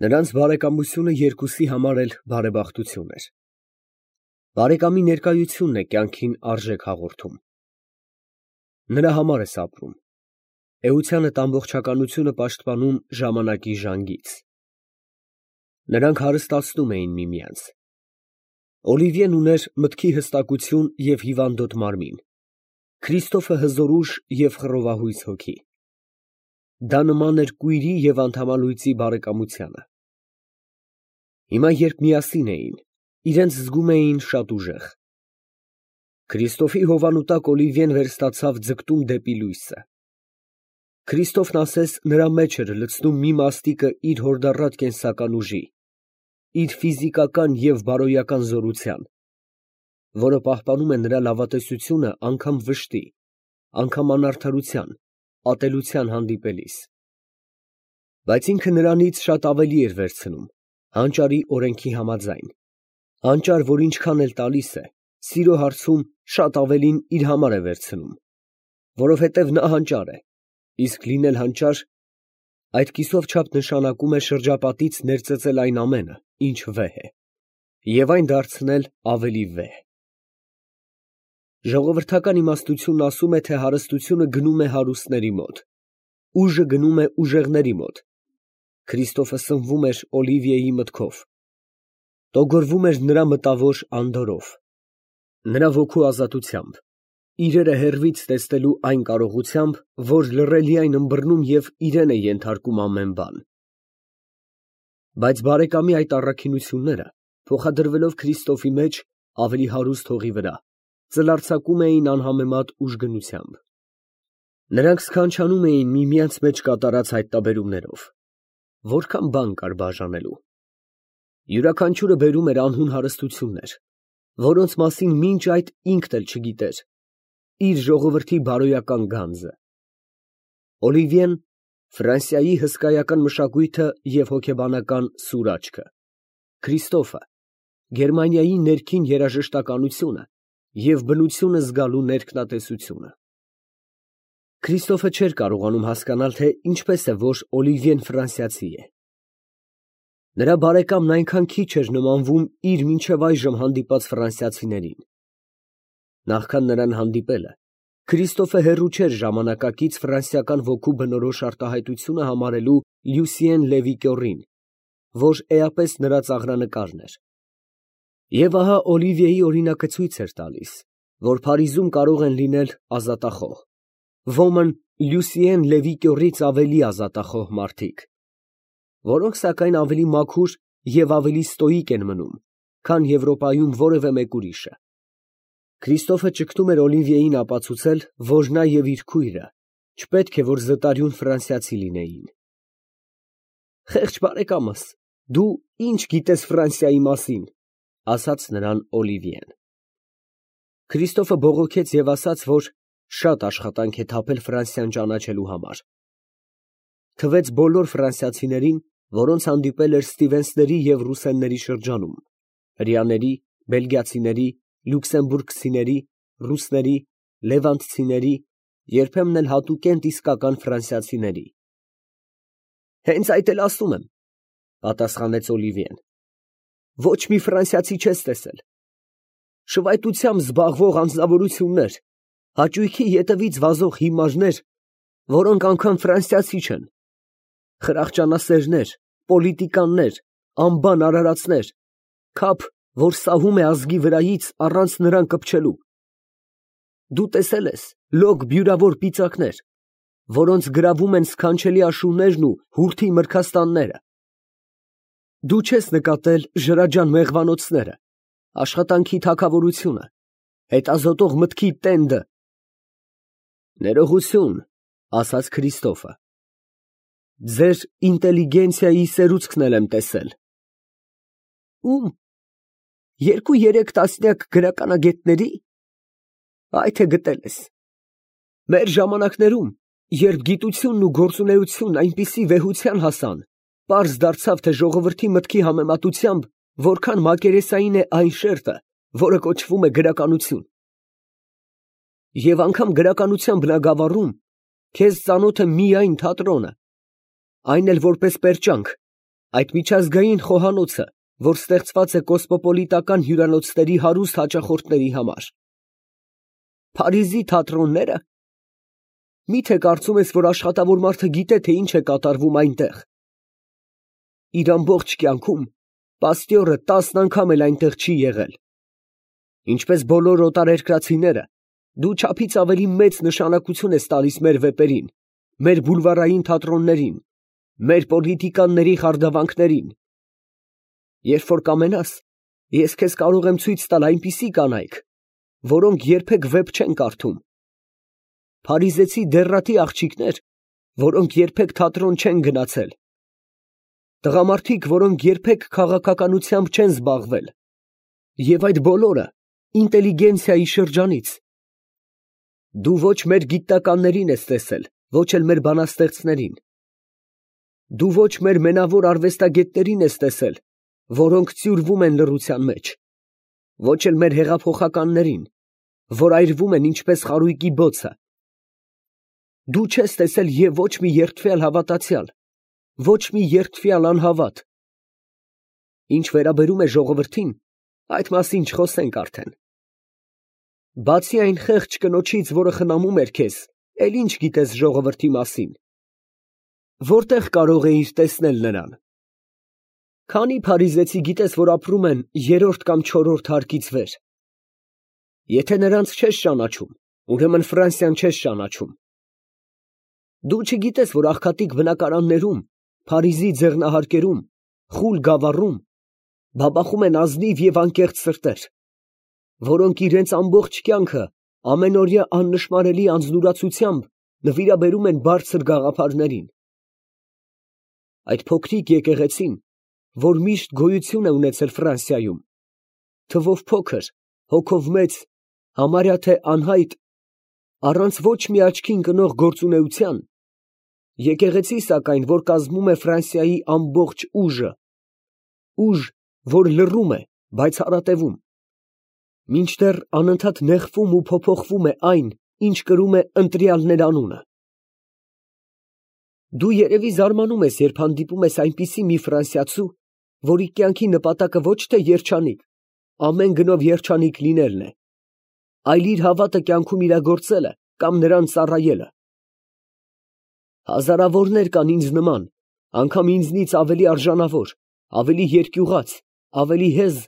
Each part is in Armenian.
Նրանց բարեկամությունը երկուսի համար էլ բարեբախտություն էր։ Բարեկամի ներկայությունն է կյանքին արժեք հաղորդում։ Նրա համար ես ապրում, էությանդ ամբողջականությունը պաշտպանում ժամանակի ժանգից։ Նրանք հարստացնում էին միմյանց։ Օլիվիեն ուներ մտքի հստակություն և հիվանդոտ մարմին, Քրիստոֆը հզոր ուժ և խռովահույս հոգի։ Դա նման էր կույրի և անդամալույծի բարեկամությանը։ Հիմա, երբ միասին էին, իրենց զգում էին շատ ուժեղ։ Քրիստոֆի հովանու տակ Օլիվիեն վերստացավ ձգտում դեպի լույսը։ Քրիստոֆն ասես նրա մեջ էր լցնում մի մաստիկը իր հորդառատ կենսական ուժի, իր ֆիզիկական և բարոյական զորության, որը պահպանում է նրա լավատեսությունը անգամ վշտի, անգամ անարդարության, ատելության հանդիպելիս։ Բայց ինքը նրանից շատ ավելի էր վերցնում, հանճարի օրենքի համաձայն, հանճար, որ ինչքան էլ տալիս է, սիրո հարցում շատ ավելին իր համար է վերցնում, որովհետև նա հանճար է, իսկ լինել հանճար այդ կիսով չափ նշանակում է շրջապատից ներծծել այն ամենը, ինչ վեհ է, և այն դարձնել ավելի վեհ։ Ժողովրդական իմաստությունն ասում է, թե հարստությունը գնում է հարուստների մոտ, ուժը գնում է ուժեղների մոտ։ Քրիստոֆը սնվում էր Օլիվիեի մտքով, տոգորվում էր նրա մտավոր անդորրով, նրա ոգու ազատությամբ, իրերը հեռվից տեսնելու այն կարողությամբ, որ լռելիայն ըմբռնում և իրեն է ենթարկում ամեն բան։ Բայց բարեկամի այդ առաքինությունները, փոխադրվելով Քրիստոֆի մեջ ավելի հարուստ հողի վրա, ծլարձակում էին անհամեմատ ուժգնությամբ։ Նրանք սքանչանում էին միմյանց մեջ կատարած հայտնաբերումներով։ Որքան բան կար բաժանելու։ Յուրաքանչյուրը բերում էր անհուն հարստություններ, որոնց մասին մինչ այդ ինքն էլ չգիտեր, իր ժողովրդի բարոյական գանձը։ Օլիվիեն Ֆրանսիայի հսկայական մշակույթը և հոգեբանական սուր աչքը, Քրիստոֆը Գերմանիայի ներքին երաժշտականությունը և բնությունը զգալու ներքնատեսությունը։ Քրիստոֆը չէր կարողանում հասկանալ, թե ինչպես է, որ Օլիվիեն ֆրանսիացի է։ Նրա բարեկամն այնքան քիչ էր նմանվում իր մինչև այժմ հանդիպած ֆրանսիացիներին։ Նախքան նրան հանդիպելը, Քրիստոֆը հեռու չէր ժամանակակից ֆրանսիական ոգու բնորոշ արտահայտությունը համարելու Լյուսիեն Լևի կյոռին, որ էապես նրա ծաղրանկարն էր։ Եվ ահա Օլիվիեի օրինակը ցույց էր տալիս, որ Փարիզում կարող են լինել ազատախոհ, ոմն Լյուսիեն Լևի կյոռից ավելի ազատախոհ մարդիկ, որոնք սակայն ավելի մաքուր և ավելի ստոիկ են մնում, քան Եվրոպայում որևէ մեկ ուրիշը։ Քրիստոֆը ճգտում էր Օլիվիեին ապացուցել, որ նա և իր քույրը չպետք է որ զտարյուն ֆրանսիացի լինեին։ «Խեղճ բարեկամս, դու ի՞նչ գիտես Ֆրանսիայի մասին», ֊ ասաց նրան Օլիվիեն։ Քրիստոֆը բողոքեց և ասաց, որ շատ աշխատանք է թափել Ֆրանսիան ճանաչելու համար։ Թվեց բոլոր ֆրանսիացիներին, որոնց հանդիպել էր Ստիվենսների և Ռուսենների շրջանում, հրեաների, բելգիացիների, լյուքսեմբուրգցիների, ռուսների, լևանտցիների, երբեմն էլ հատուկենտ իսկական ֆրանսիացիների։ «Հենց այդ էլ ասում եմ, ֊ պատասխանեց Օլիվիեն, ֊ ոչ մի ֆրանսիացի չես տեսել։ Շվայտությամբ զբաղվող անձնավորություններ, հաճույքի ետևից վազող հիմարներ, որոնք անգամ ֆրանսիացի չեն, խրախճանասերներ, պոլիտիկաներ, անբան արարածներ, քափ, որ սահում է ազգի վրայից առանց նրան կպչելու։ Դու տեսել ես լոկ բյուրավոր պիծակներ, որոնց գրավում են սքանչելի աշուններն ու հուրթի մրգաստանները։ Դու չես նկատել ժրաջան մեղվանոցները, աշխատանքի թագավորությունը, հետազոտող մտքի տենդը։ Ներողություն, ֊ ասաց Քրիստոֆը, ֊ ձեր ինտելիգենցիայի սերուցքն էլ եմ տեսել։ Ո՞ւմ, 2-3 տասնյակ գրականագետների։ Այ թե գտել ես։ Մեր ժամանակներում, երբ գիտությունն ու գործունեությունն այնպիսի վեհության հասան, պարզ դարձավ, թե ժողովրդի մտքի համեմատությամբ որքան մակերեսային է այն շերտը, որը կոչվում է գրականություն։ Եվ անգամ գրականության բնագավառում քեզ ծանոթ է միայն թատրոնը, այն էլ որպես պերճանք, Այդ միջազգային խոհանոցը, որ ստեղծված է կոսմոպոլիտական հյուրանոցների հարուստ հաճախորդների համար։ Փարիզի թատրոնները։ Մի՞թե կարծում ես, որ աշխատավոր մարդը գիտե, թե ինչ է կատարվում այնտեղ։ Իր ամբողջ կյանքում պաստյորը 10 անգամ էլ այնտեղ չի եղել։ Ինչպես բոլոր օտարերկրացիները, դու չափից ավելի մեծ նշանակություն ես տալիս մեր վեպերին, մեր բուլվարային թատրոններին, մեր պոլիտիկաների խարդավանքներին։ Երբ որ կամենաս, ես քեզ կարող եմ ցույց տալ այնպիսի կանայք, որոնք երբեք վեպ չեն կարդում, փարիզեցի դեռատի աղջիկներ, որոնք երբեք թատրոն չեն գնացել, տղամարդիկ, որոնք երբեք քաղաքականությամբ չեն զբաղվել, եւ այդ բոլորը ինտելիգենցիայի շրջանից։ Դու ոչ մեր գիտնականներին ես տեսել, ոչ էլ մեր բանաստեղծներին։ Դու ոչ մեր մենավոր արվեստագետներին ես տեսել, որոնք ծյուրվում են լռության մեջ, ոչ էլ մեր հեղափոխականներին, որ այրվում են ինչպես խարույկի բոցը։ Դու չես տեսել եւ ոչ մի երդվյալ հավատացյալ, ոչ մի երդվյալ անհավատ։ Ինչ վերաբերում է ժողովրդին, այդ մասին չխոսենք արդեն։ Բացի այն խեղճ կնոջից, որը խնամում էր քեզ, էլ ինչ գիտես ժողովրդի մասին։ Որտեղ կարող էիր տեսնել նրան։ Քանի փարիզեցի գիտես, որ ապրում են 3-րդ կամ 4-րդ հարկից վեր։ Եթե նրանց չես ճանաչում, ուրեմն Ֆրանսիան չես ճանաչում։ Դու չգիտես, որ աղքատիկ բնակարաններում, Փարիզի ձեռնահարկերում, խուլ գավառում բաբախում են ազնիվ եւ անկեղծ սրտեր, որոնք իրենց ամբողջ կյանքը ամենօրյա աննշմարելի անձնուրացությամբ նվիրաբերում են բարձր գաղափարներին։ Այդ փոքրիկ եկեղեցին, որ միշտ գոյություն է ունեցել Ֆրանսիայում, թվով փոքր, հոգով մեծ, համարյա թե անհայտ, առանց ոչ մի աչքին կնող գործունեության, եկեղեցի սակայն, որ կազմում է Ֆրանսիայի ամբողջ ուժը, ուժ, որ լռում է, բայց հարատևում, մինչդեռ անընդհատ նեղվում ու փոփոխվում է այն, ինչ կրում է ընտրյալներ անունը։ Դու երևի զարմանում ես, երբ հանդիպում ես այնպիսի մի ֆրանսիացու, որի կյանքի նպատակը ոչ թե երջանիկ, ամեն գնով երջանիկ լինելն է, այլ իր հավատը կյանքում իրագործելը կամ նրան ծառայելը։ Հազարավորներ կան ինձ նման, անգամ ինձնից ավելի արժանավոր, ավելի երկյուղած, ավելի հեզ,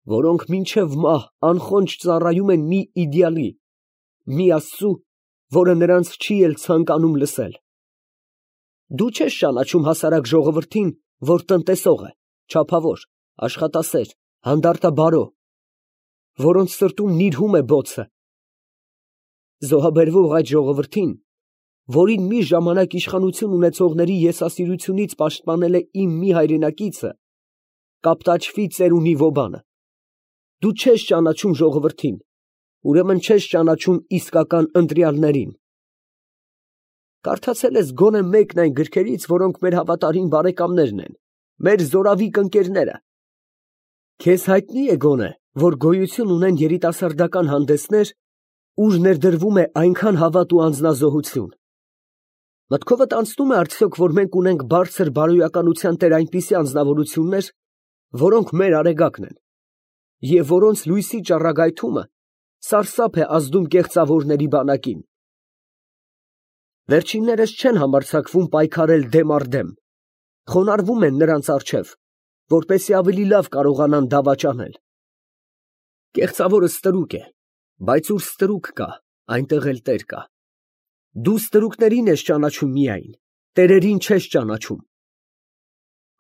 որոնք մինչև մահ անխոնջ ծառայում են մի իդեալի, մի Աստծու, որը նրանց չի էլ ցանկանում լսել։ Դու չես ճանաչում հասարակ ժողովրդին, որ տնտեսող է, չափավոր, աշխատասեր, հանդարտաբարո, որոնց սրտում նիրհում է բոցը։ Զոհաբերվող այդ ժողովրդին, որին մի ժամանակ իշխանություն ունեցողների եսասիրությունից պաշտպանել է իմ մի հայրենակիցը, կապտաչվի ծերունի Վոբանը։ Դու չես ճանաչում ժողովրդին, ուրեմն չես ճանաչում իսկական ընտրյալներին։ Կարդացել ես գոնե մեկն այն գրքերից, որոնք մեր հավատարիմ բարեկամներն են, մեր զորավիկ ընկերները։ Քեզ հայտնի է գոնե, որ գոյություն ունեն երիտասարդական հանդեսներ, ուր ներդրվում է այնքան հավատ ու անձնազոհություն։ Մտքովդ անցնում է արդյոք, որ մենք ունենք բարձր բարոյականության տեր այնպիսի անձնավորություններ, որոնք մեր արեգակն են, և որոնց լույսի ճառագայթումը սարսափ է ազդում կեղծավորների բանակին։ Վերջիններս չեն համարձակվում պայքարել դեմ առ դեմ, խոնարհվում են նրանց առջև, որպեսզի ավելի լավ կարողանան դավաճանել։ Կեղծավորը ստրուկ է, բայց ուր ստրուկ կա, այնտեղ էլ տեր կա։ Դու ստրուկներին ես ճանաչում միայն, տերերին չես ճանաչում։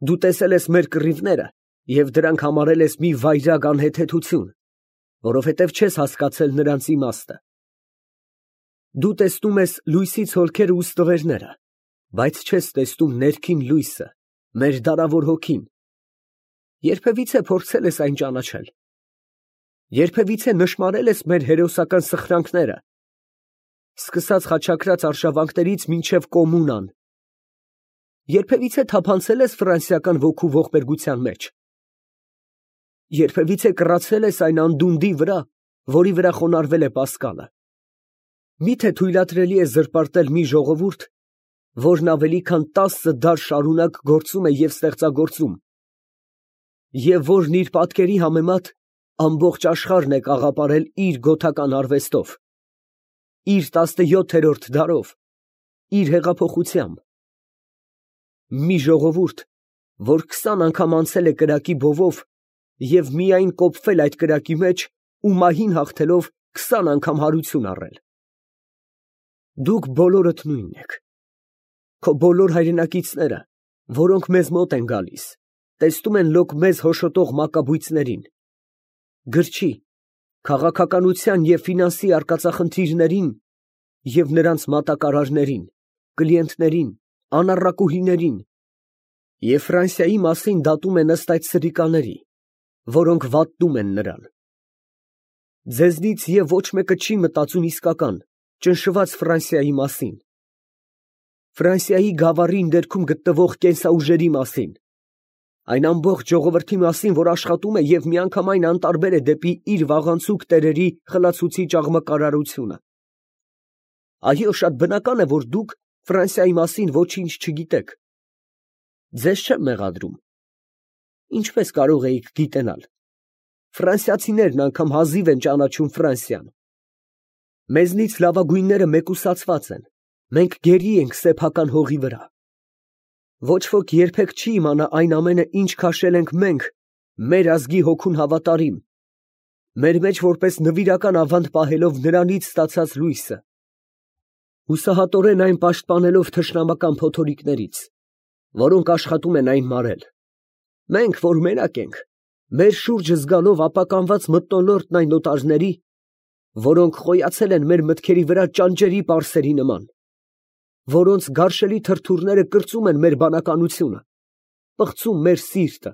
Դու տեսել ես մեր կռիվները և դրանք համարել ես մի վայրագ անհեթեթություն, որովհետև չես հասկացել նրանց իմաստը։ Դու տեսնում ես լույսից հոլքերը ու ստվերները, բայց չես տեսնում ներքին լույսը, մեր դարավոր հոգին։ Երբևիցե փորձել ես այն ճանաչել։ Երբևիցե նշմարել ես մեր հերոսական սխրանքները, սկսած խաչակրաց արշավանքներից մինչև կոմունան։ Երբևիցե թափանցել ես ֆրանսիական ոգու ողբերգության մեջ։ Երբևիցե կռացել ես այն անդունդի վրա, որի վրա խոնարհվել է Պասկալը։ Միթե թույլատրելի է զրպարտել մի ժողովուրդ, որն ավելի քան 10 դար շարունակ գործում է և ստեղծագործում, և որն իր պատկերի համեմատ ամբողջ աշխարհն է կաղապարել իր գոթական արվեստով, իր 17-րդ դարով, իր հեղափոխությամբ, մի ժողովուրդ, որ 20 անգամ անցել է կրակի բովով և միայն կոփվել այդ կրակի մեջ ու մահին հաղթելով 20 անգամ հարություն առել։ Դուք բոլորդ նույնն եք։ Քո բոլոր հայրենակիցները, որոնք մեզ մոտ են գալիս, տեսնում են լոկ մեզ հոշոտող մակաբույծներին, գրչի, քաղաքականության և ֆինանսի արկածախնդիրներին և նրանց մատակարարներին, կլիենտներին, անառակուհիներին և Ֆրանսիայի մասին դատում են ըստ այդ սրիկաների, որոնք վատնում են նրան։ Ձեզնից և ոչ մեկը չի մտածում իսկական, ճնշված Ֆրանսիայի մասին, Ֆրանսիայի գավառի ներքում գտնվող կենսաուժերի մասին, այն ամբողջ ժողովրդի մասին, որ աշխատում է և միանգամայն անտարբեր է դեպի իր վաղանցուկ տերերի խլացուցիչ աղմկարարությունը։ Այո, շատ բնական է, որ դուք Ֆրանսիայի մասին ոչինչ չգիտեք։ Ձեզ չեմ մեղադրում։ Ինչպես կարող էիք գիտենալ։ Ֆրանսիացիներն անգամ հազիվ են ճանաչում Ֆրանսիան։ Մեզնից լավագույնները մեկուսացված են, մենք գերի ենք սեփական հողի վրա։ Ոչ ոք երբեք չի իմանա այն ամենը, ինչ քաշել ենք մենք, մեր ազգի հոգուն հավատարիմ, մեր մեջ որպես նվիրական ավանդ պահելով նրանից ստացած լույսը, հուսահատորեն այն պաշտպանելով թշնամական փոթորիկներից, որոնք աշխատում են այն մարել։ Մենք, որ մենակ ենք, մեր շուրջը զգալով ապականված մթնոլորտն այն օտարների, որոնք խոյացել են մեր մտքերի վրա ճանճերի պարսերի նման, որոնց գարշելի թրթուրները կրծում են մեր բանականությունը, պղծում մեր սիրտը։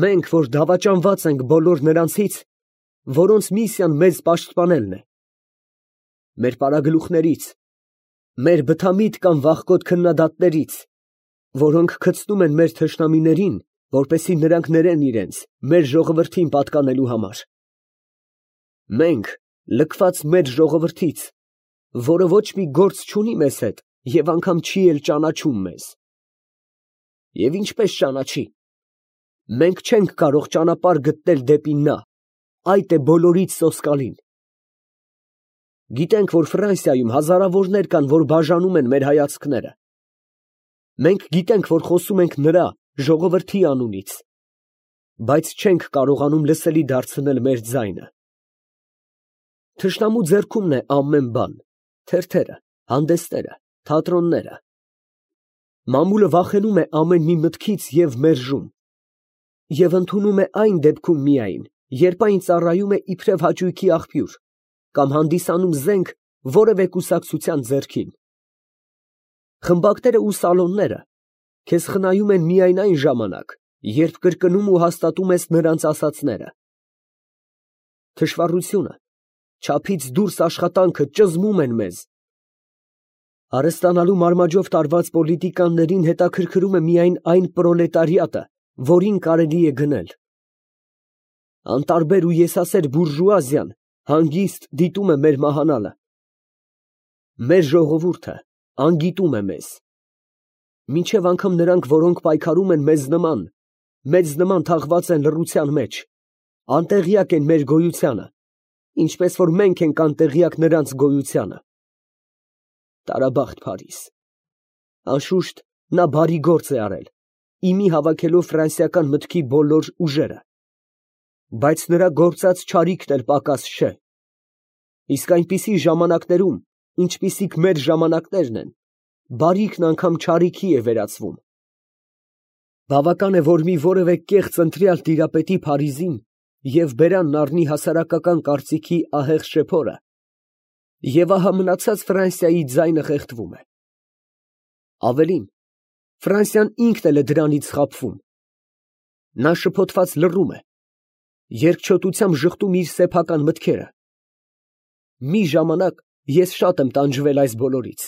Մենք, որ դավաճանված ենք բոլոր նրանցից, որոնց միսիան մեզ պաշտպանելն է, մեր պարագլուխներից, մեր բթամիտ կամ վախկոտ քննադատներից, որոնք գցնում են մեր թշնամիներին, որպեսզի նրանք ներեն իրենց մեր ժողովրդին պատկանելու համար։ Մենք, լքված մեր ժողովրդից, որը ոչ մի գործ չունի մեզ հետ և անգամ չի էլ ճանաչում մեզ։ Եվ ինչպես ճանաչի։ Մենք չենք կարող ճանապարհ գտնել դեպի նա, այդ է բոլորից սոսկալին։ Գիտենք, որ Ֆրանսիայում հազարավորներ կան, որ բաժանում են մեր հայացքները։ Մենք գիտենք, որ խոսում ենք նրա ժողովրդի անունից, բայց չենք կարողանում լսելի դարձնել մեր ձայնը։ Թշնամու ձեռքումն է ամեն բան, թերթերը, հանդեսները, թատրոնները։ Մամուլը վախենում է ամեն մի մտքից և մերժում, և ընդունում է այն դեպքում միայն, երբ այն ծառայում է իբրև հաճույքի աղբյուր կամ հանդիսանում զենք որևէ կուսակցության ձեռքին։ Խմբակները ու սալոնները քեզ խնայում են միայն այն ժամանակ, երբ կրկնում ու հաստատում ես նրանց ասածները։ Թշվառությունը, չափից դուրս աշխատանքը ճզմում են մեզ։ Հարստանալու մարմաջով տարված պոլիտիկաններին հետաքրքրում է միայն այն պրոլետարիատը, որին կարելի է գնել։ Անտարբեր ու եսասեր բուրժուազիան հանգիստ դիտում է մեր մահանալը։ Մեր ժողովուրդը անգիտում է մեզ։ Մինչև անգամ նրանք, որոնք պայքարում են մեզ նման թաղված են լռության մեջ, անտեղյակ են մեր գոյությանը, ինչպես որ մենք ենք անտեղյակ նրանց գոյությանը։ Տարաբախտ Փարիզ։ Անշուշտ, նա բարի գործ է արել, իմի հավաքելով ֆրանսիական մտքի բոլոր ուժերը, բայց նրա գործած չարիքն էլ պակաս չէ։ Իսկ այնպիսի ժամանակներում, ինչպիսիք մեր ժամանակներն են, բարիքն անգամ չարիքի է վերածվում։ Բավական է, որ մի որևէ կեղծ ընտրյալ տիրապետի Փարիզին և բերանն առնի հասարակական կարծիքի ահեղ շեփորը, և ահա մնացած Ֆրանսիայի ձայնը խեղդվում է։ Ավելին, Ֆրանսիան ինքն էլ է դրանից խաբվում։ Նա շփոթված լռում է, երկչոտությամբ ժխտում իր սեփական մտքերը։ Մի ժամանակ ես շատ եմ տանջվել այս բոլորից,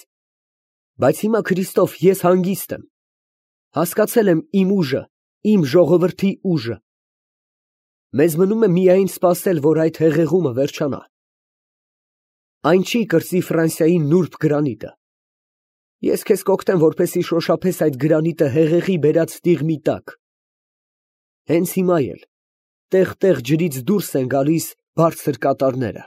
բայց հիմա Քրիստով ես հանգիստ եմ, հասկացել եմ իմ ուժը, իմ ժողովրդի ուժը։ Մեզ մնում է միայն սպասել, որ այդ հեղեղումը վերջանա։ Այն չի կրծի Ֆրանսիայի նուրբ գրանիտը։ Ես քեզ կօգնեմ, որպեսզի շոշափես այդ գրանիտը հեղեղի բերած տիղմի տակ։ Հենց հիմա էլ տեղ֊տեղ ջրից դուրս են գալիս բարձր կատարները։